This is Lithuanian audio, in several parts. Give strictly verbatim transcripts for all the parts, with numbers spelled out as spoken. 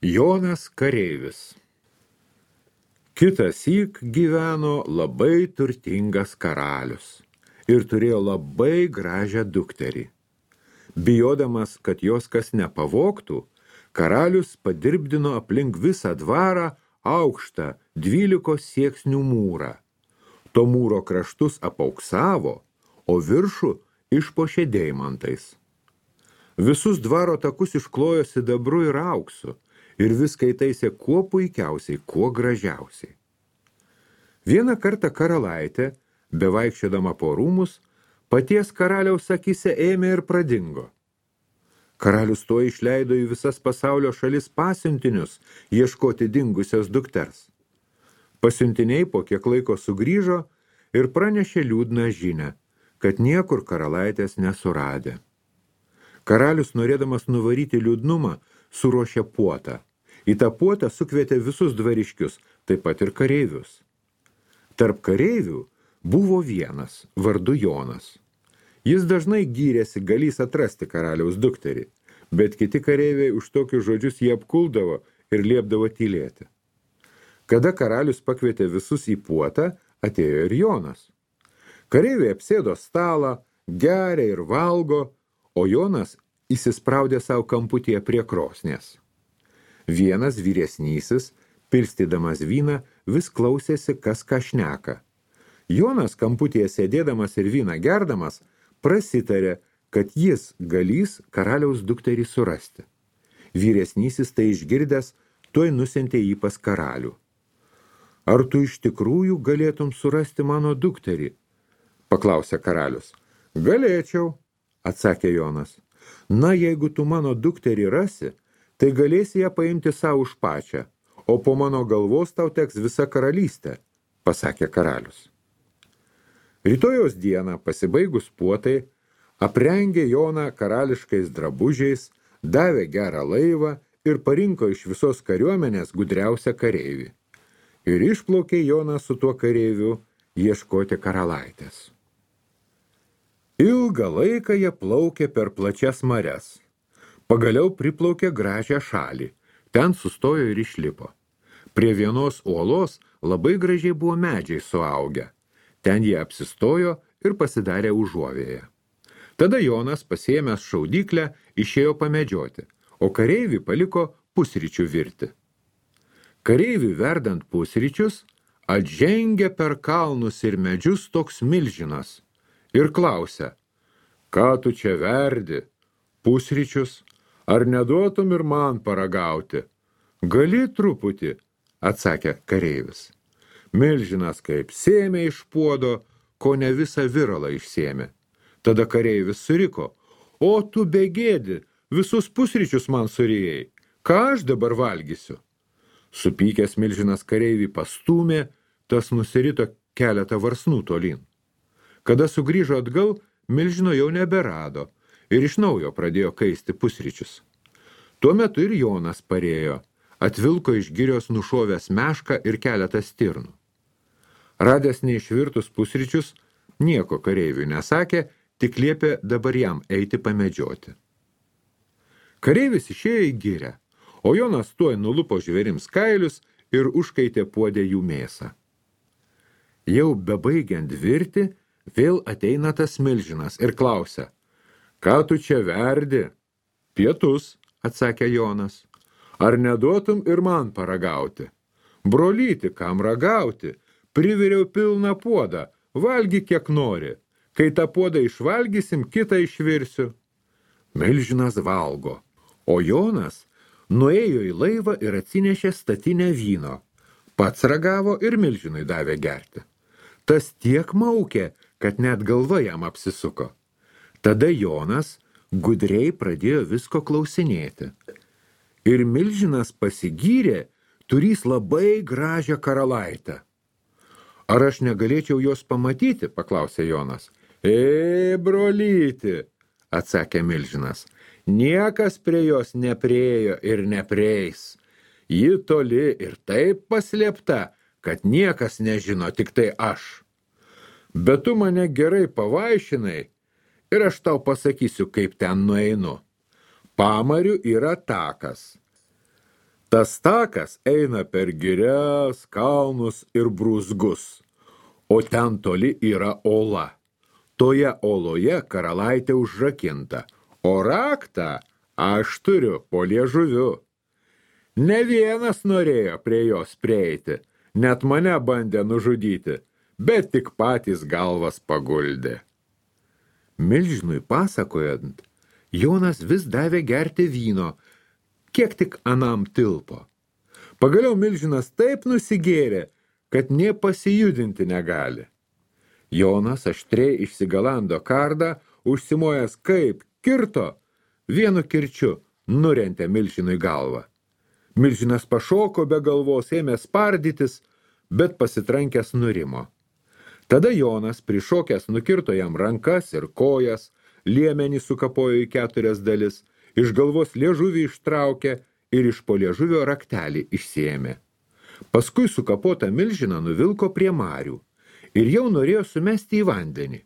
Jonas kareivis. Kitąsyk gyveno labai turtingas karalius ir turėjo labai gražią dukterį. Bijodamas, kad jos kas nepavogtų, karalius padirbdino aplink visą dvarą aukštą dvylikos sieksnių mūrą. To mūro kraštus apauksavo, o viršų išpuošė deimantais. Visus dvaro takus išklojo sidabru ir auksu ir viską įtaisė kuo puikiausiai, kuo gražiausiai. Vieną kartą karalaitė, bevaikščiodama po rūmus, paties karaliaus akyse ėmė ir pradingo. Karalius to išleido į visas pasaulio šalis pasiuntinius ieškoti dingusios dukters. Pasiuntiniai po kiek laiko sugrįžo ir pranešė liūdną žinią, kad niekur karalaitės nesuradė. Karalius, norėdamas nuvaryti liūdnumą, suruošė puotą. Į tą puotą sukvietė visus dvariškius, taip pat ir kareivius. Tarp kareivių buvo vienas, vardu Jonas. Jis dažnai gyrėsi galys atrasti karaliaus dukterį, bet kiti kareiviai už tokius žodžius jį apkuldavo ir liepdavo tylėti. Kada karalius pakvietė visus į puotą, atėjo ir Jonas. Kareiviai apsėdo stalą, geria ir valgo, o Jonas įsispraudė savo kamputyje prie krosnės. Vienas vyresnysis, pilstydamas vyną, vis klausėsi, kas ką šneka. Jonas kamputyje sėdėdamas ir vyną gerdamas, prasitarė, kad jis galys karaliaus dukterį surasti. Vyresnysis tai išgirdęs, tuoj nusintė jį pas karalių. Ar tu iš tikrųjų galėtum surasti mano dukterį? Paklausė karalius. Galėčiau, atsakė Jonas. Na, jeigu tu mano dukterį rasi, tai galėsi ją paimti savo už pačią, o po mano galvos tau teks visa karalystė, pasakė karalius. Rytojaus dieną, pasibaigus puotai, aprengė Joną karališkais drabužiais, davė gerą laivą ir parinko iš visos kariuomenės gudriausią kareivį. Ir išplaukė Jonas su tuo kareiviu ieškoti karalaitės. Ilgą laiką jie plaukė per plačias marias. Pagaliau priplaukė gražią šalį. Ten sustojo ir išlipo. Prie vienos uolos labai gražiai buvo medžiai suaugę. Ten jie apsistojo ir pasidarė užuovėje. Tada Jonas, pasiėmęs šaudyklę, išėjo pamedžioti, o kareivį paliko pusryčių virti. Kareiviui verdant pusryčius, atžengė per kalnus ir medžius toks milžinas ir klausia, ką tu čia verdi, pusryčius, ar neduotum ir man paragauti? Gali truputį, atsakė kareivis. Milžinas kaip sėmė iš puodo, ko ne visą viralą išsėmė. Tada kareivis suriko, o tu begėdi, visus pusryčius man surijai, ką aš dabar valgysiu? Supykęs milžinas kareivį pastūmė, tas nusirito keletą varsnų tolyn. Kada sugrįžo atgal, milžino jau neberado ir iš naujo pradėjo kaisti pusryčius. Tuo metu ir Jonas parėjo, atvilko iš girios nušovęs mešką ir keletą stirnų. Radęs neišvirtus pusryčius, nieko kareiviui nesakė, tik liepė dabar jam eiti pamedžioti. Kareivis išėjo į girę, o Jonas tuoj nulupo žvėrims kailius ir užkaitė puodę jų mėsą. Jau bebaigiant virti, vėl ateina tas milžinas ir klausia, ką tu čia verdi? Pietus, atsakė Jonas. Ar neduotum ir man paragauti? Brolyti, kam ragauti? Priviriau pilną puodą, valgy kiek nori. Kai tą puodą išvalgysim, kitą išvirsiu. Milžinas valgo, o Jonas nuėjo į laivą ir atsinešė statinę vyno. Pats ragavo ir milžinui davė gerti. Tas tiek maukė, kad net galva jam apsisuko. Tada Jonas gudriai pradėjo visko klausinėti. Ir milžinas pasigyrė, turys labai gražią karalaitę. Ar aš negalėčiau jos pamatyti, paklausė Jonas. E, brolyti, atsakė milžinas, niekas prie jos nepriejo ir neprieis. Ji toli ir taip paslėpta, kad niekas nežino, tik tai aš. Bet tu mane gerai pavaišinai ir aš tau pasakysiu, kaip ten nueinu. Pamariu yra takas. Tas takas eina per girias, kalnus ir brūzgus, o ten toli yra ola. Toje oloje karalaitė užrakinta, o raktą aš turiu po liežuviu. Ne vienas norėjo prie jos prieiti, net mane bandė nužudyti, bet tik patys galvas paguldė. Milžinui pasakojant, Jonas vis davė gerti vyno, kiek tik anam tilpo. Pagaliau milžinas taip nusigėrė, kad nė pasijudinti negali. Jonas aštriai išsigalando kardą, užsimojęs kaip kirto, vienu kirčiu nurentė milžinui galvą. Milžinas pašoko be galvos, ėmė spardytis, bet pasitrankęs nurimo. Tada Jonas prišokęs nukirto jam rankas ir kojas, liemenį sukapojo į keturias dalis, iš galvos liežuvį ištraukė ir iš po liežuvio raktelį išsiėmė. Paskui sukapotą milžiną nuvilko prie marių ir jau norėjo sumesti į vandenį.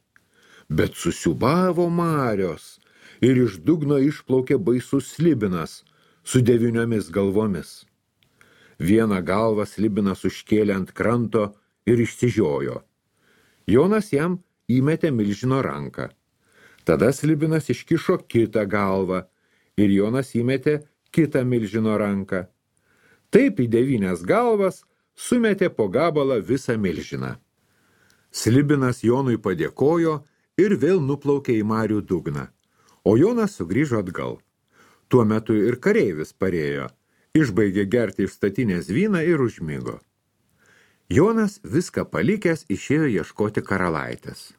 Bet susiūbavo marios ir iš dugno išplaukė baisus slibinas su devyniomis galvomis. Vieną galvą slibinas užkėlė ant kranto ir išsižiojo. Jonas jam įmetė milžino ranką. Tada slibinas iškišo kitą galvą ir Jonas įmetė kitą milžino ranką. Taip į devynias galvas sumetė po gabalą visą milžiną. Slibinas Jonui padėkojo ir vėl nuplaukė į marių dugną, o Jonas sugrįžo atgal. Tuo metu ir kareivis parėjo, išbaigė gerti iš statinės vyną ir užmigo. Jonas viską palikęs išėjo ieškoti karalaitės.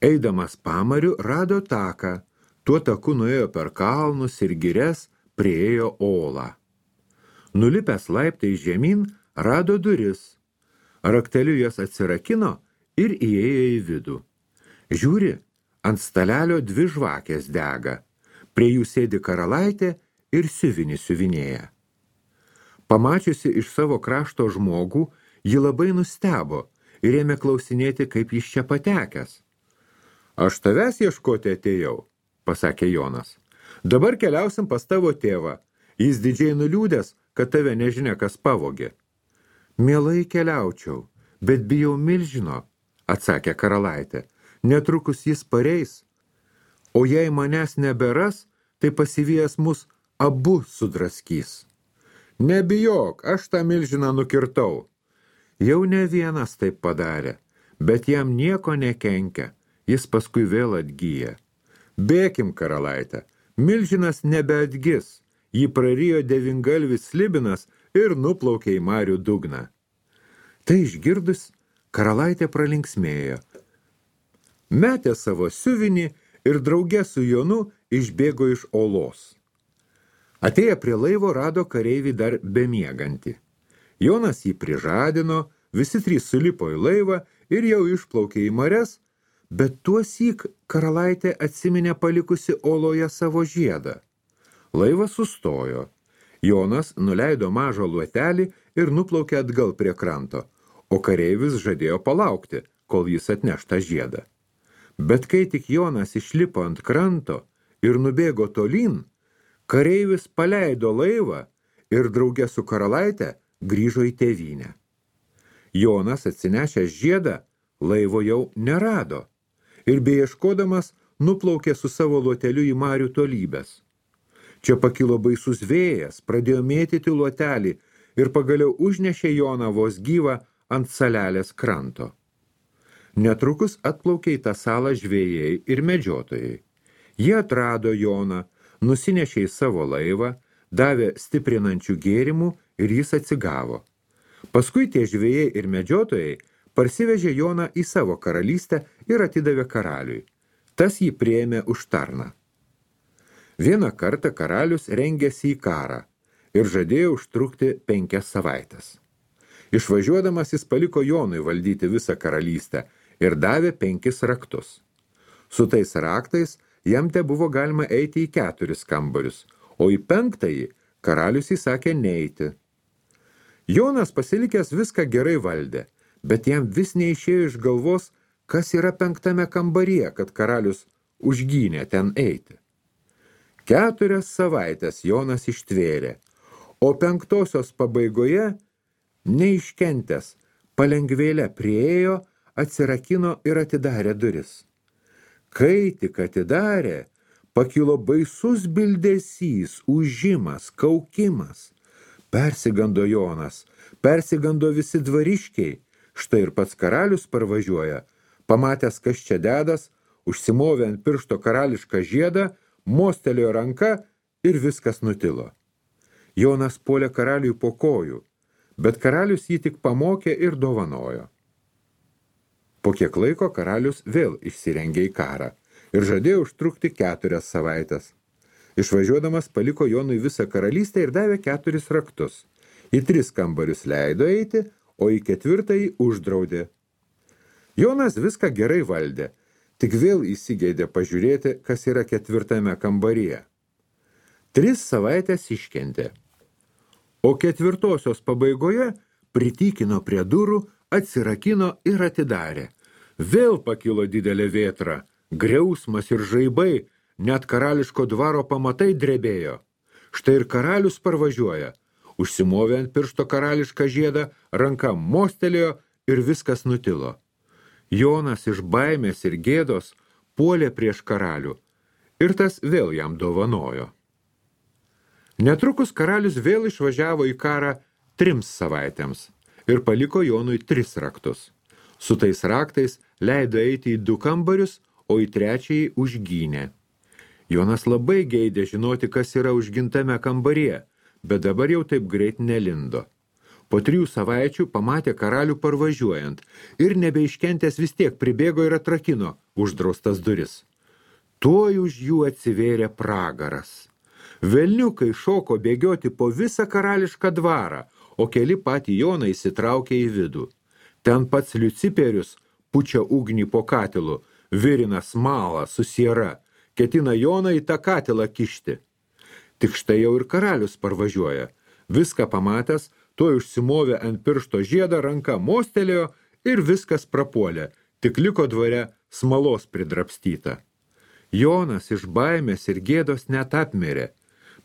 Eidamas pamariu rado taką, tuo taku nuėjo per kalnus ir girias, priėjo olą. Nulipęs laiptai žemyn, rado duris. Rakteliu jas atsirakino ir įėjo į vidų. Žiūri, ant stalelio dvi žvakės dega. Prie jų sėdi karalaitė ir siuvinį siuvinėja. Pamačiusi iš savo krašto žmogų, ji labai nustebo ir ėmė klausinėti, kaip jis čia patekęs. Aš tavęs ieškoti atėjau, pasakė Jonas. Dabar keliausim pas tavo tėvą. Jis didžiai nuliūdęs, kad tave nežinia, kas pavogė. Mielai keliaučiau, bet bijau milžino, atsakė karalaitė. Netrukus jis pareis. O jei manęs neberas, tai pasivijęs mus abu sudraskys. Nebijok, aš tą milžiną nukirtau. Jau ne vienas taip padarė, bet jam nieko nekenkia, jis paskui vėl atgyja. Bėkim, karalaitė, milžinas nebeatgis, jį prarijo devyngalvis slibinas ir nuplaukė į marių dugną. Tai išgirdus, karalaitė pralinksmėjo. Metė savo siuvinį ir drauge su Jonu išbėgo iš olos. Atėję prie laivo rado kareivį dar bemiegantį. Jonas jį prižadino, visi trys sulipo į laivą ir jau išplaukė į marias, bet tuosyk karalaitė atsiminė palikusi oloje savo žiedą. Laivas sustojo. Jonas nuleido mažą luotelį ir nuplaukė atgal prie kranto, o kareivis žadėjo palaukti, kol jis atneš tą žiedą. Bet kai tik Jonas išlipo ant kranto ir nubėgo tolyn, kareivis paleido laivą ir drauge su karalaite grįžo į tėvynę. Jonas, atsinešęs žiedą, laivo jau nerado ir beieškodamas nuplaukė su savo luoteliu į marių tolybes. Čia pakilo baisus vėjas, pradėjo mėtyti luotelį ir pagaliau užnešė Joną vos gyvą ant salelės kranto. Netrukus atplaukė į tą salą žvejai ir medžiotojai. Jie atrado Joną, nusinešė į savo laivą, davė stiprinančių gėrimų ir jis atsigavo. Paskui tie žvejai ir medžiotojai parsivežė Joną į savo karalystę ir atidavė karaliui. Tas jį priėmė už tarną. Vieną kartą karalius rengėsi į karą ir žadėjo užtrukti penkias savaitės. Išvažiuodamas jis paliko Jonui valdyti visą karalystę ir davė penkis raktus. Su tais raktais jam te buvo galima eiti į keturis kambarius, o į penktąjį karalius įsakė neiti. Jonas pasilikęs viską gerai valdė, bet jam vis neišėjo iš galvos, kas yra penktame kambaryje, kad karalius užgynė ten eiti. Keturias savaitės Jonas ištvėrė, O penktosios pabaigoje, neiškentęs, palengvėlę priėjo, atsirakino ir atidarė duris. Kai tik atidarė, pakilo baisus bildesys, ūžimas, kaukimas. Persigando Jonas, persigando visi dvariškiai. Štai ir pats karalius parvažiuoja. Pamatęs, kas čia dedas, užsimovė ant piršto karališką žiedą, mostelėjo ranka ir viskas nutilo. Jonas puolė karaliui po kojų, bet karalius jį tik pamokė ir dovanojo. Po kiek laiko karalius vėl išsirengė į karą ir žadėjo užtrukti keturias savaitės. Išvažiuodamas paliko Jonui visą karalystę ir davė keturis raktus. Į tris kambarius leido eiti, o į ketvirtąjį uždraudė. Jonas viską gerai valdė, tik vėl įsigeidė pažiūrėti, kas yra ketvirtame kambaryje. Tris savaitės iškentė. O ketvirtosios pabaigoje pritykino prie durų, atsirakino ir atidarė. Vėl pakilo didelė vėtra, griausmas ir žaibai, net karališko dvaro pamatai drebėjo. Štai ir karalius parvažiuoja. Užsimovė ant piršto karališką žiedą, ranka mostelėjo ir viskas nutilo. Jonas iš baimės ir gėdos puolė prieš karalių ir tas vėl jam dovanojo. Netrukus karalius vėl išvažiavo į karą trims savaitėms ir paliko Jonui tris raktus. Su tais raktais leido eiti į du kambarius, o į trečiąjį užgynė. Jonas labai geidė žinoti, kas yra užgintame kambaryje, bet dabar jau taip greit nelindo. Po trijų savaičių pamatė karalių parvažiuojant ir nebeiškentęs vis tiek pribėgo ir atrakino uždraustas duris. Tuoj už jų atsivėrė pragaras. Velniukai šoko bėgioti po visą karališką dvarą, o keli patį Joną įsitraukė į vidų. Ten pats Liuciperius pučia ugnį po katilu, virina smalą su siera, ketina Joną į tą katilą kišti. Tik štai jau ir karalius parvažiuoja. Viską pamatęs, tuoj užsimovė ant piršto žiedą, ranka mostelėjo ir viskas prapuolė, tik liko dvare smalos pridrapstyta. Jonas iš baimės ir gėdos net apmirė,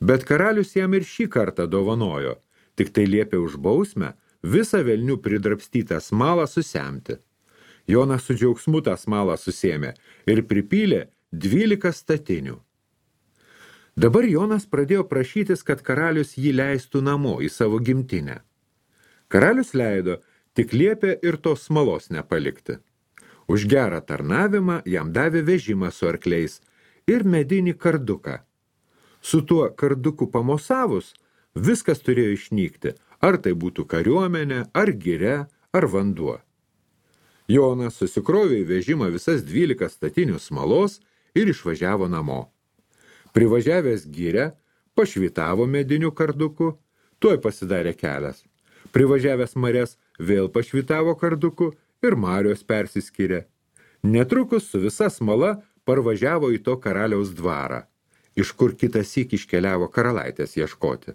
bet karalius jam ir šį kartą dovanojo, tik tai liepė už bausmę visą velnių pridrapstytą smalą susemti. Jonas su džiaugsmu tą smalą susėmė ir pripylė dvylika statinių. Dabar Jonas pradėjo prašytis, kad karalius jį leistų namo į savo gimtinę. Karalius leido, tik liepė ir tos smalos nepalikti. Už gerą tarnavimą jam davė vežimą su arkliais ir medinį karduką. Su tuo karduku pamosavus, viskas turėjo išnykti, ar tai būtų kariuomenė, ar giria, ar vanduo. Jonas susikrovė į vežimą visas dvylika statinių smalos ir išvažiavo namo. Privažiavęs girę, pašvitavo mediniu karduku, tuoj pasidarė kelias. Privažiavęs marias, vėl pašvitavo karduku ir marios persiskyrė. Netrukus su visa smala parvažiavo į to karaliaus dvarą, iš kur kitąsyk iškeliavo karalaitės ieškoti.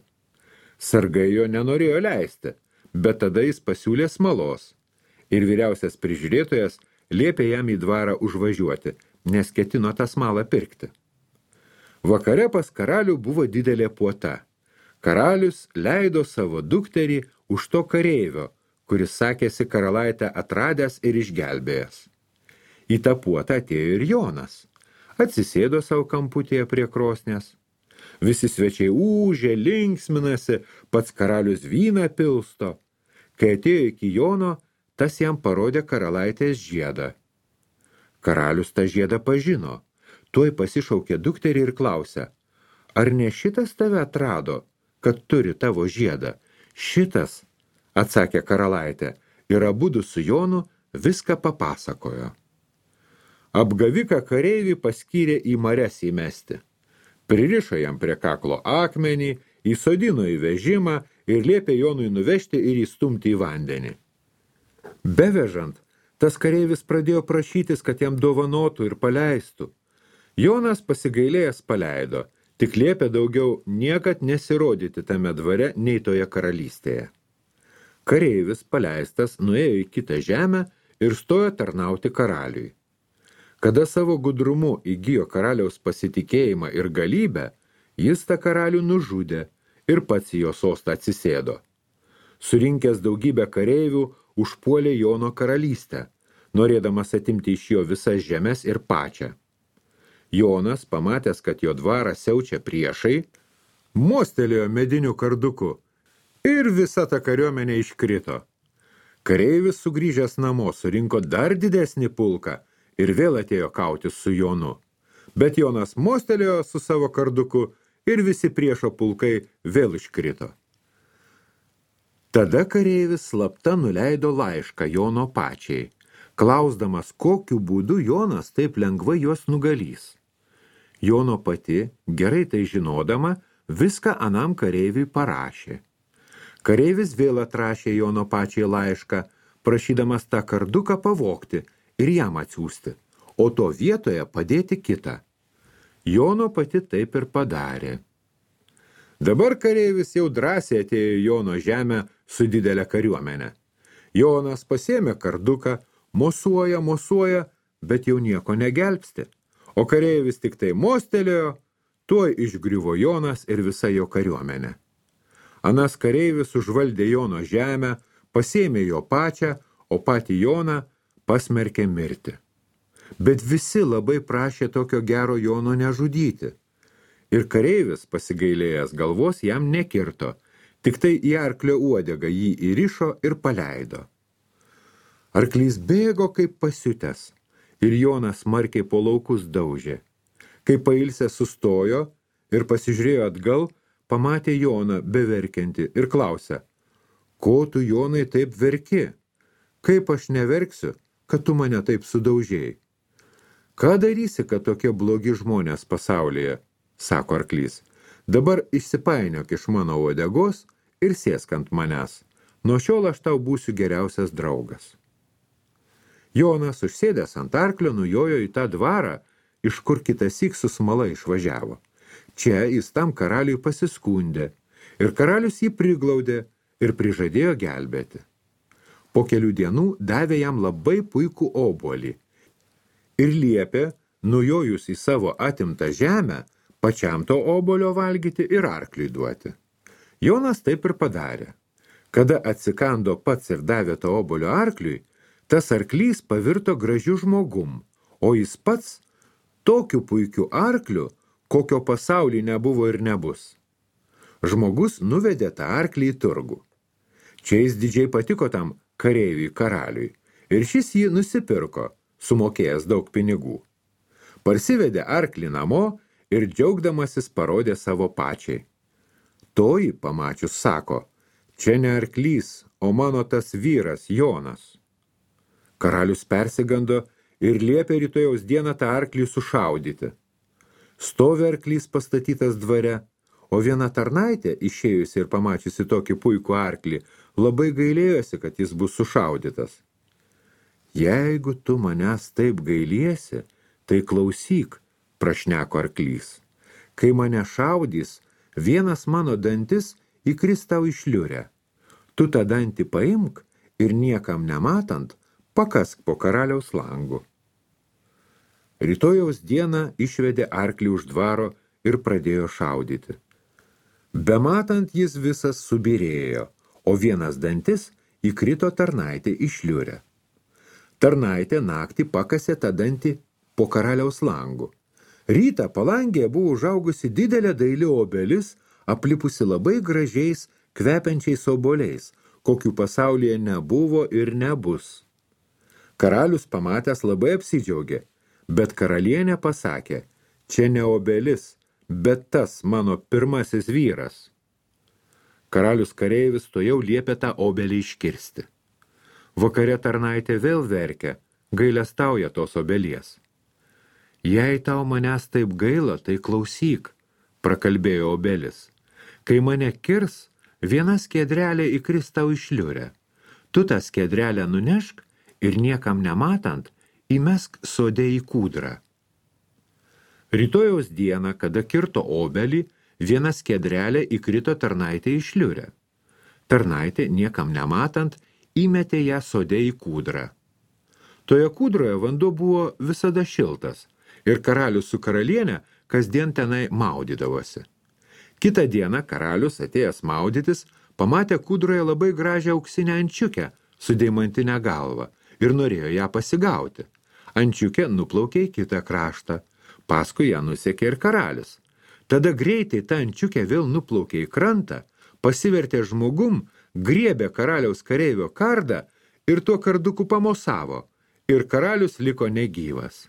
Sargai jo nenorėjo leisti, bet tada jis pasiūlė smalos. Ir vyriausias prižiūrėtojas liepė jam į dvarą užvažiuoti, nes ketino tą smalą pirkti. Vakare pas karalių buvo didelė puota. Karalius leido savo dukterį už to kareivio, kuris sakėsi karalaitę atradęs ir išgelbėjęs. Į tą puotą atėjo ir Jonas. Atsisėdo savo kamputėje prie krosnės. Visi svečiai ūžė, linksminasi, pats karalius vyną pilsto. Kai atėjo iki Jono, tas jam parodė karalaitės žiedą. Karalius tą žiedą pažino. Tuoj pasišaukė dukterį ir klausė, ar ne šitas tave atrado, kad turi tavo žiedą? Šitas, atsakė karalaitė, ir abudu su Jonu viską papasakojo. Apgaviką kareivį paskyrė į marias įmesti. Pririšo jam prie kaklo akmenį, įsodino į vežimą ir liepė Jonui nuvežti ir įstumti į vandenį. Bevežant, tas kareivis pradėjo prašytis, kad jam dovanotų ir paleistų. Jonas pasigailėjęs paleido, tik liepė daugiau niekad nesirodyti tame dvare nei toje karalystėje. Kareivis paleistas nuėjo į kitą žemę ir stojo tarnauti karaliui. Kada savo gudrumu įgijo karaliaus pasitikėjimą ir galybę, jis tą karalių nužudė ir pats į jo sostą atsisėdo. Surinkęs daugybę kareivių, užpuolė Jono karalystę, norėdamas atimti iš jo visas žemes ir pačią. Jonas, pamatęs, kad jo dvarą siaučia priešai, mostelėjo mediniu karduku ir visa ta kariuomenė iškrito. Kareivis sugrįžęs namo surinko dar didesnį pulką ir vėl atėjo kautis su Jonu. Bet Jonas mostelėjo su savo karduku ir visi priešo pulkai vėl iškrito. Tada kareivis slapta nuleido laišką Jono pačiai, klausdamas, kokiu būdu Jonas taip lengvai juos nugalys. Jono pati, gerai tai žinodama, viską anam kareiviui parašė. Kareivis vėl atrašė Jono pačiai laišką, prašydamas tą karduką pavogti ir jam atsiųsti, o to vietoje padėti kitą. Jono pati taip ir padarė. Dabar kareivis jau drąsiai atėjo į Jono žemę su didelė kariuomenė. Jonas pasėmė karduką, mosuoja, mosuoja, bet jau nieko negelbsti. O kareivis tik tai mostelėjo, tuoj išgriuvo Jonas ir visa jo kariuomenė. Anas kareivis užvaldė Jono žemę, pasėmė jo pačią, o patį Joną pasmerkė mirti. Bet visi labai prašė tokio gero Jono nežudyti. Ir kareivis, pasigailėjęs galvos, jam nekirto, tik tai į arklio uodegą jį įrišo ir paleido. Arklys bėgo kaip pasiutęs, ir Jonas smarkiai po laukus daužė. Kai pailsė sustojo ir pasižiūrėjo atgal, pamatė Joną beverkiantį ir klausė, ko tu, Jonai, taip verki? Kaip aš neverksiu, kad tu mane taip sudaužėjai? Ką darysi, kad tokie blogi žmonės pasaulyje, sako arklys. Dabar išsipainiok iš mano uodegos ir sėsk ant manęs. Nuo šiol aš tau būsiu geriausias draugas. Jonas, užsėdęs ant arklio, nujojo į tą dvarą, iš kur kitąsyk su smala išvažiavo. Čia jis tam karaliui pasiskundė, ir karalius jį priglaudė ir prižadėjo gelbėti. Po kelių dienų davė jam labai puikų obuolį ir liepė, nujojus į savo atimtą žemę, pačiam to obuolio valgyti ir arkliui duoti. Jonas taip ir padarė. Kada atsikando pats ir davė to obuolio arkliui, tas arklys pavirto gražiu žmogum, o jis pats tokiu puikiu arkliu, kokio pasauly nebuvo ir nebus. Žmogus nuvedė tą arklį į turgų. Čia jis didžiai patiko tam kareiviui karaliui, ir šis jį nusipirko, sumokėjęs daug pinigų. Parsivedė arklį namo ir džiaugdamasis parodė savo pačiai. Toji, pamačius, sako, čia ne arklys, o mano tas vyras Jonas. Karalius persigando ir liepė rytojaus dieną tą arklį sušaudyti. Stovi arklys pastatytas dvare, o viena tarnaitė, išėjusi ir pamačiusi tokį puikų arklį, labai gailėjosi, kad jis bus sušaudytas. Jeigu tu manęs taip gailiesi, tai klausyk, prašneko arklys. Kai mane šaudys, vienas mano dantis įkris tau į šliurę. Tu tą dantį paimk ir niekam nematant, pakask po karaliaus langu. Rytojaus dieną išvedė arklį už dvaro ir pradėjo šaudyti. Bematant jis visas subirėjo, o vienas dantis įkrito tarnaitė į šliurę. Tarnaitė naktį pakasė tą dantį po karaliaus langu. Rytą palangėje buvo užaugusi didelė daili obelis, aplipusi labai gražiais, kvepiančiais obuoliais, kokių pasaulyje nebuvo ir nebus. Karalius pamatęs labai apsidžiaugė, bet karalienė pasakė, čia ne obelis, bet tas mano pirmasis vyras. Karalius kareivis tojau liepė tą obelį iškirsti. Vakare tarnaitė vėl verkia, gailestauja tos obelies. Jei tau manęs taip gaila, tai klausyk, prakalbėjo obelis. Kai mane kirs, viena skiedrelė įkris tau į šliurę. Tu tą skiedrelę nunešk ir niekam nematant, įmesk sode į kūdrą. Rytojaus dieną, kada kirto obelį, viena skiedrelė įkrito tarnaitė į šliurę. Tarnaitė, niekam nematant, įmetė ją sode į kūdrą. Toje kūdroje vanduo buvo visada šiltas, ir karalius su karalienė kasdien tenai maudydavosi. Kitą dieną karalius, atėjęs maudytis, pamatė kūdroje labai gražią auksinę ančiukę su deimantinę galvą ir norėjo ją pasigauti. Ančiukė nuplaukė į kitą kraštą, paskui ją nusekė ir karalius. Tada greitai ta ančiukė vėl nuplaukė į krantą, pasivertė žmogum, griebė karaliaus kareivio kardą ir tuo karduku pamosavo, ir karalius liko negyvas.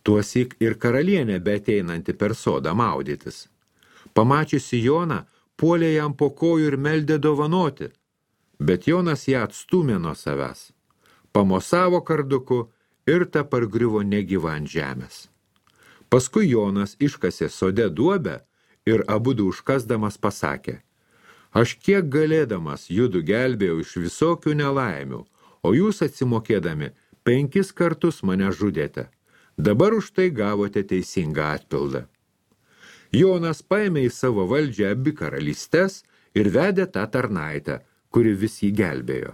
Tuosyk ir karalienė beateinanti per sodą maudytis. Pamačiusi Joną, puolė jam po kojų ir meldė dovanoti, bet Jonas ją atstūmė nuo savęs. Pamosavo karduku ir ta pargriuvo negyva ant žemės. Paskui Jonas iškasė sode duobę ir abudu užkasdamas pasakė: aš kiek galėdamas judu gelbėjau iš visokių nelaimių, o jūs atsimokėdami penkis kartus mane žudėte. Dabar už tai gavote teisingą atpildą. Jonas paėmė į savo valdžią abi karalystes ir vedė tą tarnaitę, kuri vis jį gelbėjo.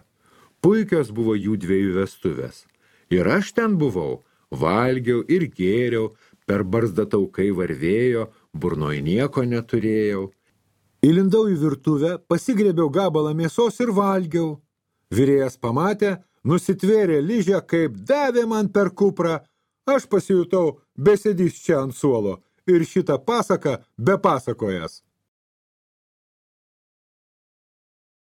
Puikios buvo jų dviejų vestuvės. Ir aš ten buvau, valgiau ir gėriau, per barzdą taukai varvėjo, burnoj nieko neturėjau. Įlindau į virtuvę, pasigrėbiau gabalą mėsos ir valgiau. Virėjas pamatė, nusitvėrė ližę, kaip davė man per kuprą. Aš pasijutau besėdys čia ant suolo ir šitą pasaką be pasakojęs.